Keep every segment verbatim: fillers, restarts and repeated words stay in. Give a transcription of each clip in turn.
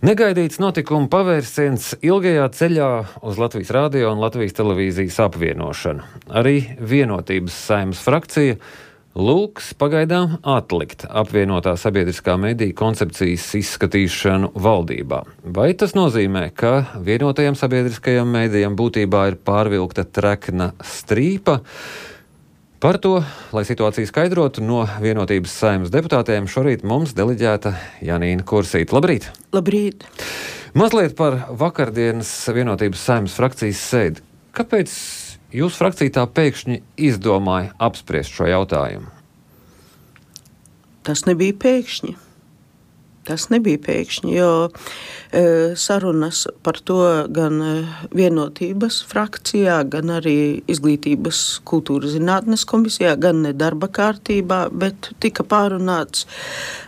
Negaidīts notikuma pavērsiens ilgajā ceļā uz Latvijas radio un Latvijas televīzijas apvienošanu. Arī Vienotības Saeimas frakcija lūgs pagaidām atlikt apvienotā sabiedriskā mediju koncepcijas izskatīšanu valdībā. Vai tas nozīmē, ka vienotajam sabiedriskajam medijam būtībā ir pārvilkta trekna strīpa? Par to, lai situāciju skaidrotu, no Vienotības Saeimas deputātiem šorīt mums deleģēta Janīna Kursīte. Labrīt! Labrīt! Mazliet par vakardienas Vienotības Saeimas frakcijas sēdi. Kāpēc jūsu frakcija tā pēkšņi izdomāja apspriest šo jautājumu? Tas nebija pēkšņi. Tas nebija pēkšņi, jo e, sarunas par to gan Vienotības frakcijā, gan arī Izglītības kultūras zinātnes komisijā, gan ne darba kārtībā, bet tika pārunāts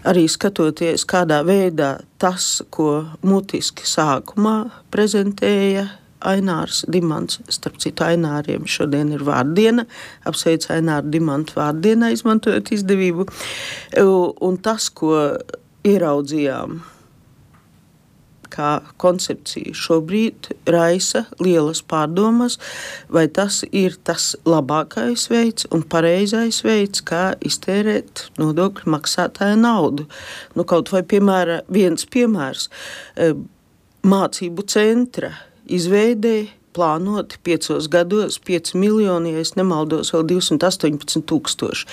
arī skatoties, kādā veidā tas, ko mutiski sākumā prezentēja Ainārs Dimants, starp citu Aināriem šodien ir vārdiena, apsveic Aināru Dimantu vārdienā, izmantojot izdevību, un tas, ko ieraudzījām kā koncepcija šobrīd raisa lielas pārdomas, vai tas ir tas labākais veids un pareizais veids, kā iztērēt nodokļu maksātāja naudu. Nu, kaut vai piemēra, viens piemērs mācību centra izveidē plānoti piecos gados pieci miljoni, ja es nemaldos, vēl divsimt astoņpadsmit tūkstoši.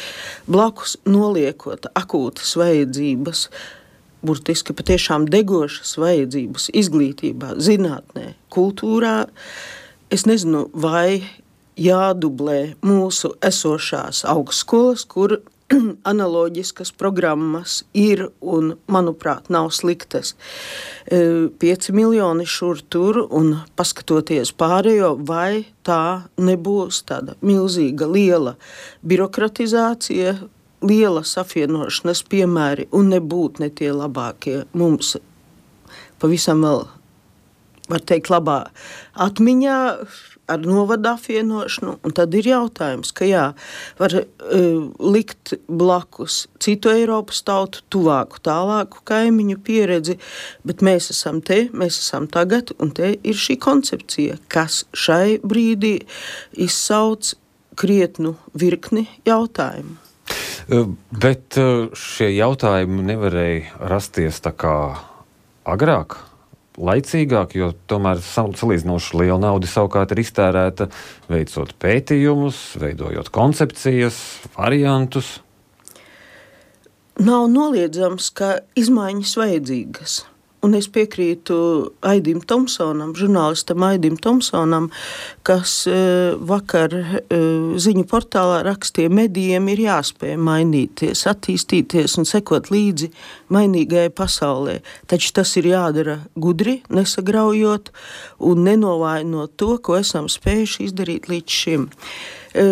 Blakus noliekot akūtas vajadzības, burtiski patiešām degošas vajadzības izglītībā, zinātnē, kultūrā. Es nezinu, vai jādublē mūsu esošās augstskolas, kur analoģiskas programmas ir un, manuprāt, nav sliktas. Pieci miljoni šur tur un paskatoties pārējo, vai tā nebūs tāda milzīga liela birokratizācija, lielas apvienošanas piemēri un nebūt ne tie labākie mums pavisam vēl, var teikt, labā atmiņā ar novada apvienošanu. Un tad ir jautājums, ka jā, var uh, likt blakus citu Eiropas tautu, tuvāku, tālāku kaimiņu pieredzi, bet mēs esam te, mēs esam tagad, un te ir šī koncepcija, kas šai brīdī izsauc krietnu virkni jautājumu. Bet šie jautājumi nevarēja rasties tā kā agrāk, laicīgāk, jo tomēr salīdzinoši liela nauda savukārt ir iztērēta veicot pētījumus, veidojot koncepcijas, variantus. Nav noliedzams, ka izmaiņas vajadzīgas. Un es piekrītu Aidim Tomsonam, žurnālistam Aidim Tomsonam, kas e, vakar e, ziņu portālā rakstīja, medijiem ir jāspēj mainīties, attīstīties un sekot līdzi mainīgajai pasaulē. Taču tas ir jādara gudri, nesagraujot un nenovājinot to, ko esam spējuši izdarīt līdz šim. E,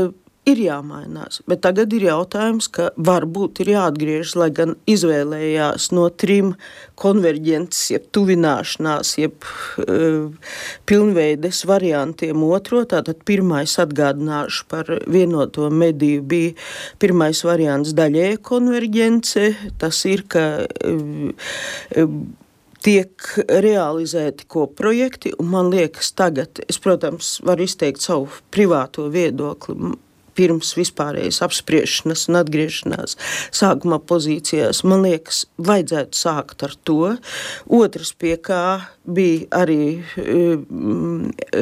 Ir jāmainās, bet tagad ir jautājums, ka varbūt ir jāatgriežas, lai gan izvēlējās no trim konverģences, jeb tuvināšanās, jeb uh, pilnveides variantiem otro. Tātad pirmais atgādināšu par vienoto mediju bija pirmais variants daļēja konverģence. Tas ir, ka uh, uh, tiek realizēti kopprojekti, un man liekas tagad, es, protams, varu izteikt savu privāto viedokli, pirms vispārējas apspriešanas un atgriešanās sākuma pozīcijās, man liekas, vajadzētu sākt ar to. Otrs, pie kā bija arī,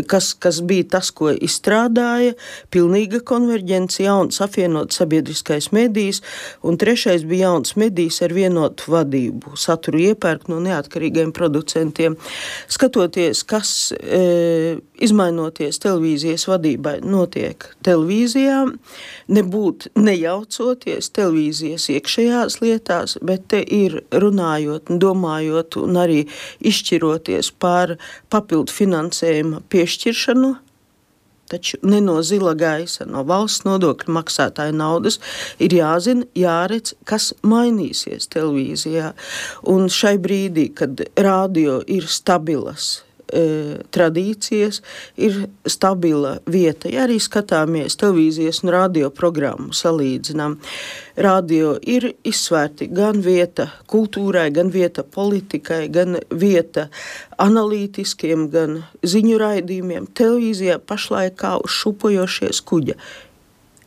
kas, kas bija tas, ko izstrādāja, pilnīga konverģence, jauns apvienot sabiedriskais medijs, un trešais bija jauns medijs ar vienotu vadību, saturu iepērkt no neatkarīgiem producentiem. Skatoties, kas e, izmainoties televīzijas vadībai notiek televīzijā, nebūt nejaucoties televīzijas iekšējās lietās, bet te ir runājot un domājot un arī izšķiroties par papildu finansējuma piešķiršanu, taču ne no zila gaisa, no valsts nodokļu maksātāja naudas ir jāzina, jāredz, kas mainīsies televīzijā. Un šai brīdī, kad radio ir stabilas e, tradīcijas, ir stabila vieta. Ja arī skatāmies televīzijas un radio programmu salīdzinām, radio ir izsvērti gan vieta kultūrai, gan vieta politikai, gan vieta analītiskiem, gan ziņu raidījumiem. Televīzijā pašlaik kā uz šupojošies kuģa.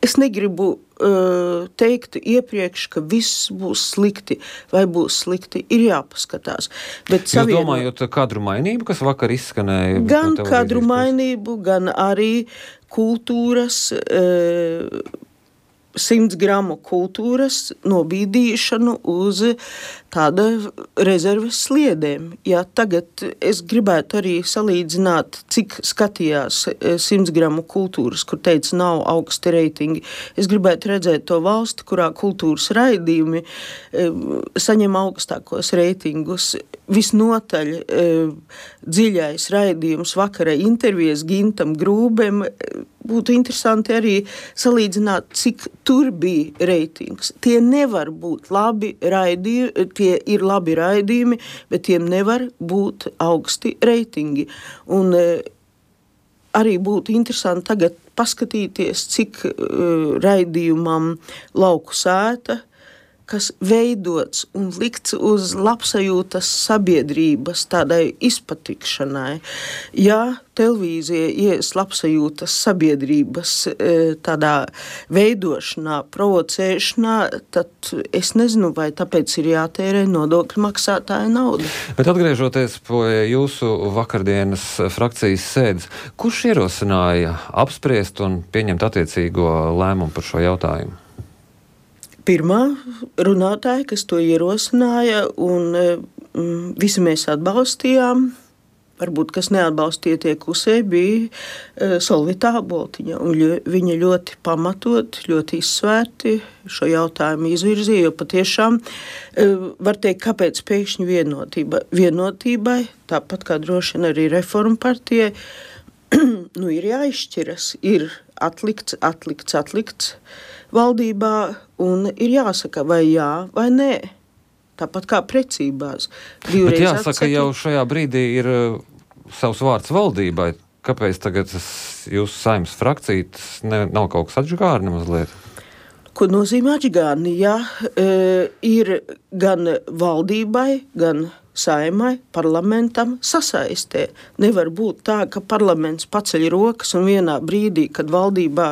Es negribu uh, teikt iepriekš, ka viss būs slikti vai būs slikti, ir jāpaskatās. Bet Jūs savieno... domājot kadru mainību, kas vakar izskanēja? Gan kadru mainību, gan arī kultūras, uh, simts gramu kultūras nobīdīšanu uz tāda rezerves sliedēm. Ja tagad es gribētu arī salīdzināt, cik skatījās simts gramu kultūras, kur teica nav augsti reitingi. Es gribētu redzēt to valsti, kurā kultūras raidījumi e, saņem augstākos reitingus. Visnotaļ e, dziļais raidījums vakara intervijas Gintam Grūbem. Būtu interesanti arī salīdzināt, cik tur bija reitings. Tie nevar būt labi raidījumi, tie ir labi raidījumi, bet tiem nevar būt augsti reitingi. Un e, arī būtu interesanti tagad paskatīties, cik e, raidījumam Lauku sēta, kas veidots un likts uz labsajūtas sabiedrības tādai izpatikšanai. Ja televīzija ies labsajūtas sabiedrības tādā veidošanā, provocēšanā, tad es nezinu, vai tāpēc ir jātērē nodokļu maksātāja nauda. Bet atgriežoties pie jūsu vakardienas frakcijas sēdes, kurš ierosināja apspriest un pieņemt attiecīgo lēmumu par šo jautājumu? Pirmā runātāja, kas to ierosināja, un mm, visi mēs atbalstījām, varbūt, kas neatbalstīja tie klusē, bija e, Solvita Āboltiņa, un ļo, viņa ļoti pamatot, ļoti izsvērti šo jautājumu izvirzīja, jo patiešām e, var teikt, kāpēc pēkšņi vienotība. Vienotībai, tāpat kā droši vien arī Reformu partijai, nu ir jāizšķiras, ir atlikts, atlikts, atlikts valdībā, un ir jāsaka vai jā, vai nē. Tāpat kā precībās. Bet jāsaka, atsaki... jau šajā brīdī ir uh, savs vārds valdībai. Kāpēc tagad jūsu Saeimas frakcija ne, nav kaut kas atžgārni mazliet? Ko nozīmē atžgārni? Jā, e, ir gan valdībai, gan Saeimai, parlamentam sasaistē. Nevar būt tā, ka parlaments paceļ rokas un vienā brīdī, kad valdībā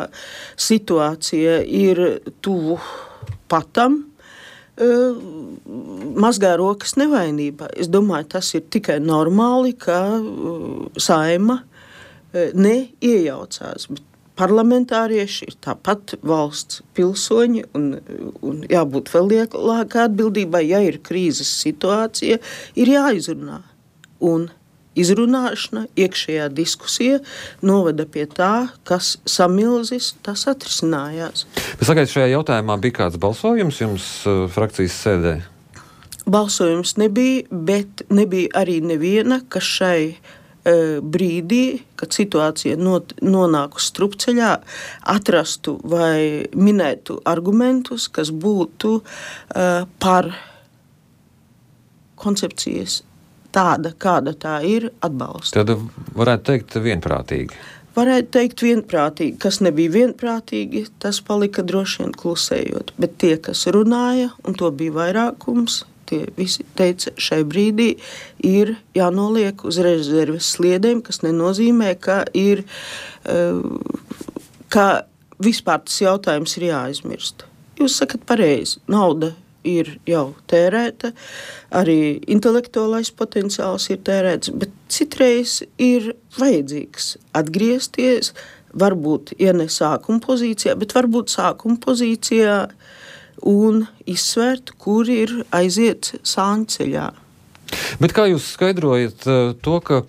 situācija ir tuvu patam, uh, mazgā rokas nevainībā. Es domāju, tas ir tikai normāli, ka uh, Saeima uh, neiejaucās, bet parlamentārieši ir tāpat valsts pilsoņi un, un jābūt vēl lielākai atbildībai, ja ir krīzes situācija, ir jāizrunā. Un izrunāšana, iekšējā diskusija noveda pie tā, kas samilzis, tas atrisinājās. Bet sagaiet, šajā jautājumā bija kāds balsojums jums uh, frakcijas sēdē? Balsojums nebija, bet nebija arī neviena, kas šai brīdī, kad situācija not, nonāk uz strupceļā, atrastu vai minētu argumentus, kas būtu uh, par koncepcijas tāda, kāda tā ir, atbalsta. Tad varētu teikt vienprātīgi. Varētu teikt vienprātīgi. Kas nebija vienprātīgi, tas palika droši vien klusējot. Bet tie, kas runāja, un to bija vairākums, tie visi teica, šai brīdī ir jānoliek uz rezerves sliedēm, kas nenozīmē, ka ir, ka vispār tas jautājums ir jāaizmirst. Jūs sakat pareizi, nauda ir jau tērēta, arī intelektuālais potenciāls ir tērēts, bet citreiz ir vajadzīgs atgriezties, varbūt, ja ne sākuma pozīcijā, bet varbūt sākuma pozīcijā un izsvērt, kur ir aiziet sāņceļā. Bet kā jūs skaidrojat to, ka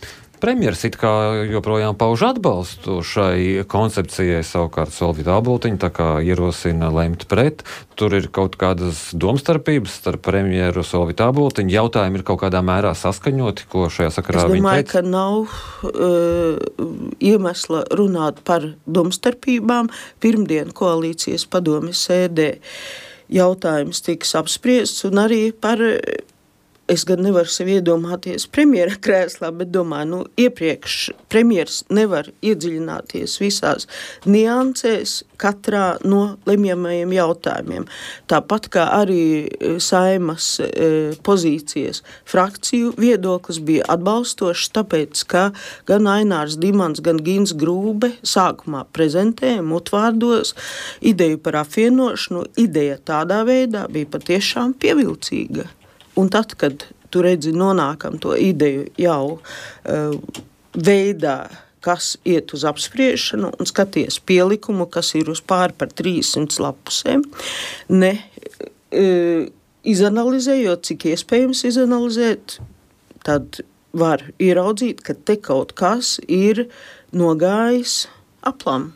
premjeras it kā joprojām pauž atbalstu šai koncepcijai, savukārt Solvita Āboltiņa tā kā ierosina lemt pret? Tur ir kaut kādas domstarpības starp premjeru Solvitu Āboltiņu. Jautājumi ir kaut kādā mērā saskaņoti, ko šajā sakarā viņi teica? Es domāju, ka nav uh, iemesla runāt par domstarpībām. Pirmdien koalīcijas padomes sēdē jautājums tiks apspriests un arī par es gan nevaru sev iedomāties premjera krēslā, bet domāju, nu, iepriekš premjers nevar iedziļināties visās niansēs katrā no lemjamajiem jautājumiem. Tāpat kā arī Saimas e, pozīcijas frakciju viedoklis bija atbalstošs, tāpēc, ka gan Ainārs Dimants, gan Gins Grūbe sākumā prezentēja mutvārdos ideju par apvienošanu. Ideja tādā veidā bija patiešām pievilcīga. Un tad, kad tu redzi nonākam to ideju jau uh, veidā, kas iet uz apspriešanu un skaties pielikumu, kas ir uz pāri par trīssimt lapusēm, ne uh, izanalizējot, cik iespējams izanalizēt, tad var ieraudzīt, ka te kaut kas ir nogājis aplam.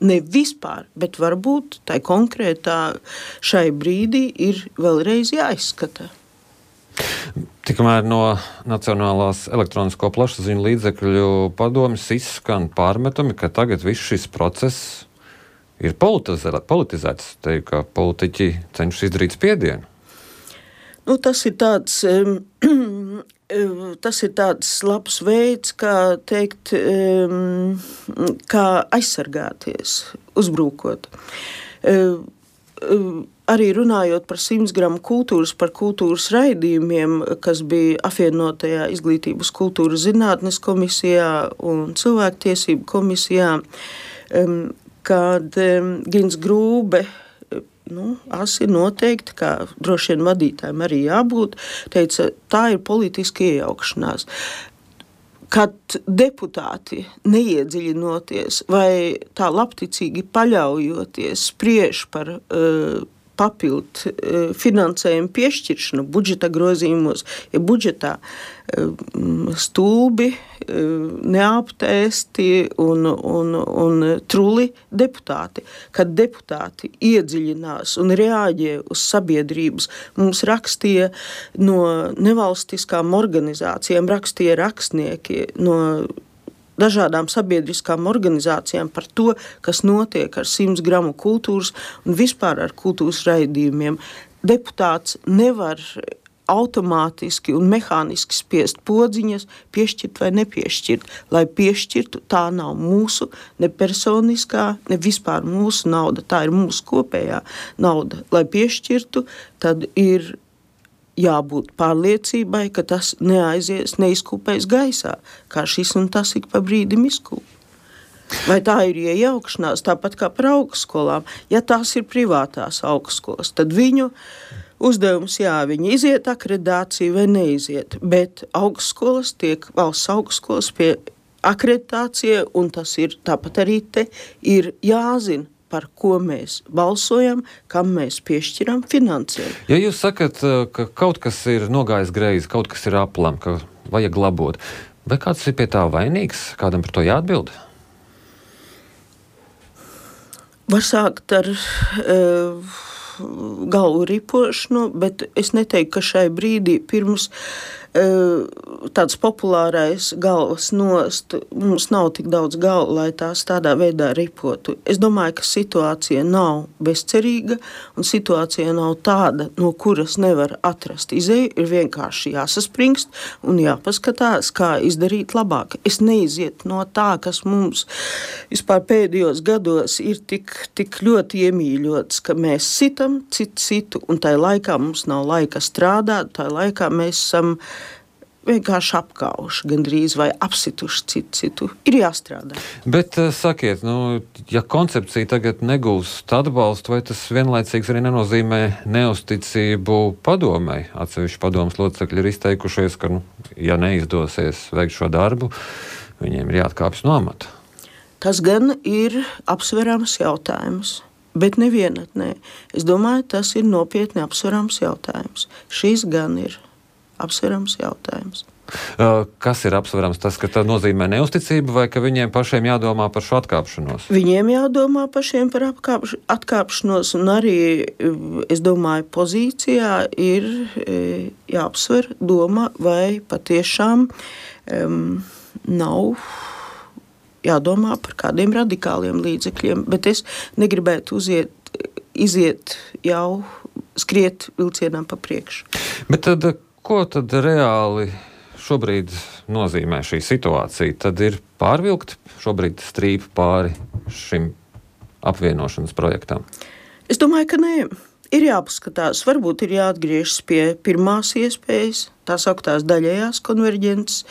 Ne vispār, bet varbūt tai konkrētā šai brīdī ir vēlreiz jāizskata. Tikmēr no Nacionālās elektronisko plašsaziņu līdzekļu padomjas izskan pārmetumi, ka tagad viss šis process ir politizēts, te, ka politiķi cenšas izdarīt spiedienu. Nu, tas ir tāds, um, tas ir tāds labs veids, kā teikt, um, kā aizsargāties, uzbrūkot. Um, um, arī runājot par simts gramu kultūras, par kultūras raidījumiem, kas bija apvienotajā izglītības kultūras zinātnes komisijā un cilvēktiesību komisijā, um, kad um, Gins Grūbe, nu, asi noteikti, kā droši vien vadītājiem arī jābūt, teica, tā ir politiska iejaukšanās. Kad deputāti neiedziļinoties vai tā labticīgi paļaujoties spriež par uh, papildu uh, finansējumu piešķiršanu budžeta grozījumos, ja budžetā uh, stulbi, uh, neaptēsti un, un, un truli deputāti. Kad deputāti iedziļinās un reaģē uz sabiedrības, mums rakstīja no nevalstiskām organizācijām, rakstīja rakstnieki no dažādām sabiedriskām organizācijām par to, kas notiek ar simts gramu kultūras un vispār ar kultūras raidījumiem. Deputāts nevar automātiski un mehāniski spiest podziņas, piešķirt vai nepiešķirt. Lai piešķirtu, tā nav mūsu ne personiskā, ne vispār mūsu nauda, tā ir mūsu kopējā nauda. Lai piešķirtu, tad ir jābūt pārliecībai, ka tas neaizies, neizkūpēs gaisā, kā šis un tas ik pa brīdim izkūp. Vai tā ir iejaukšanās, tāpat kā par augstskolām? Ja tās ir privātās augstskolas, tad viņu uzdevums, jā, viņi iziet akreditāciju vai neiziet, bet augstskolas tiek valsts augstskolas pie akreditācija, un tas ir tāpat arī te ir jāzina, par ko mēs balsojam, kam mēs piešķiram finansējumu. Ja jūs sakat, ka kaut kas ir nogājis greizi, kaut kas ir aplam, ka vajag labot, vai kāds ir pie tā vainīgs? Kādam par to jāatbild? Var sākt ar uh, galvu ripošanu, bet es neteiktu, ka šai brīdī pirms uh, tāds populārais galvas nost, mums nav tik daudz galvu, lai tās tādā veidā ripotu. Es domāju, ka situācija nav bezcerīga un situācija nav tāda, no kuras nevar atrast izēju, ir vienkārši jāsaspringst un jāpaskatās, kā izdarīt labāk. Es neizietu no tā, kas mums vispār pēdējos gados ir tik, tik ļoti iemīļots, ka mēs sitam citu citu un tai laikā mums nav laika strādāt, tai laikā mēs esam vienkārši apkauši, gandrīz vai apsituši citu citu. Ir jāstrādā. Bet sakiet, nu, ja koncepcija tagad negūst atbalstu, vai tas vienlaicīgs arī nenozīmē neusticību padomei? Atsevišķi padomas locekļi ir izteikušies, ka, nu, ja neizdosies veikt šo darbu, viņiem ir jāatkāpjas no amata. Tas gan ir apsverams jautājums, bet nevienatnē. Es domāju, tas ir nopietni apsverams jautājums. Šis gan ir apsverams jautājums. Kas ir apsverams? Tas, ka tā nozīmē neusticību, vai ka viņiem pašiem jādomā par šo atkāpšanos? Viņiem jādomā pašiem par apkāpš, atkāpšanos, un arī, es domāju, pozīcijā ir jāapsver doma, vai patiešām um, nav jādomā par kādiem radikāliem līdzekļiem, bet es negribētu uziet, iziet jau skriet vilcienām pa priekšu. Bet tad Ko tad reāli šobrīd nozīmē šī situācija? Tad ir pārvilkt šobrīd strīpu pāri šim apvienošanas projektam? Es domāju, ka nē. Ir jāpaskatās, varbūt ir jāatgriežas pie pirmās iespējas, tā sauktās daļējās konverģences,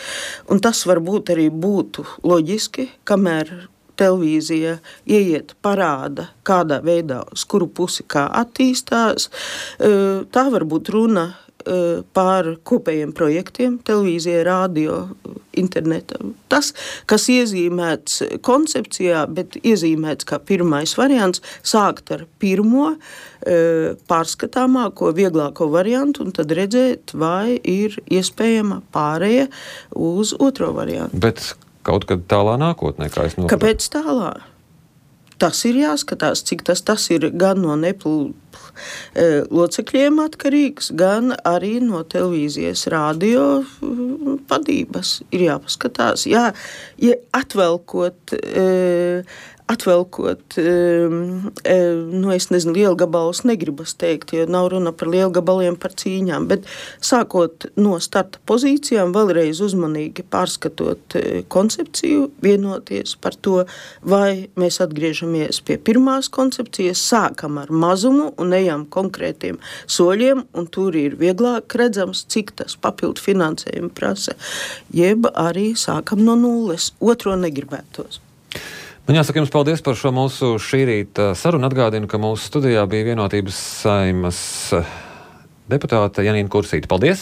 un tas varbūt arī būtu loģiski, kamēr televīzija ieiet parāda, kādā veidā, uz kuru pusi kā attīstās. Tā var būt runa par kopējiem projektiem, televīzijai, radio, interneta. Tas, kas iezīmēts koncepcijā, bet iezīmēts kā pirmais variants, sākt ar pirmo pārskatāmāko, vieglāko variantu un tad redzēt, vai ir iespējama pārēja uz otro variantu. Bet kaut kad tālā nākotnē, kā es noprotu. Kāpēc tālā? Tas ir jāskatās, cik tas, tas ir gan no neplu locekļiem atkarīgs, gan arī no televīzijas radio vadības ir jāpaskatās. Jā, ja atvelkot, atvelkot, nu es nezinu, lielgabalus negribas teikt, jo nav runa par lielgabaliem, par cīņām, bet sākot no starta pozīcijām, vēlreiz uzmanīgi pārskatot koncepciju, vienoties par to, vai mēs atgriežamies pie pirmās koncepcijas, sākam ar mazumu un ejam konkrētiem soļiem, un tur ir vieglāk redzams, cik tas papildu finansējumu prasa, jeb arī sākam no nulles. Otro negribētos. Man jāsaka jums paldies par šo mūsu šī rīta sarunu. Atgādinu, ka mūsu studijā bija Vienotības Saeimas deputāte Janīna Kursīte. Paldies!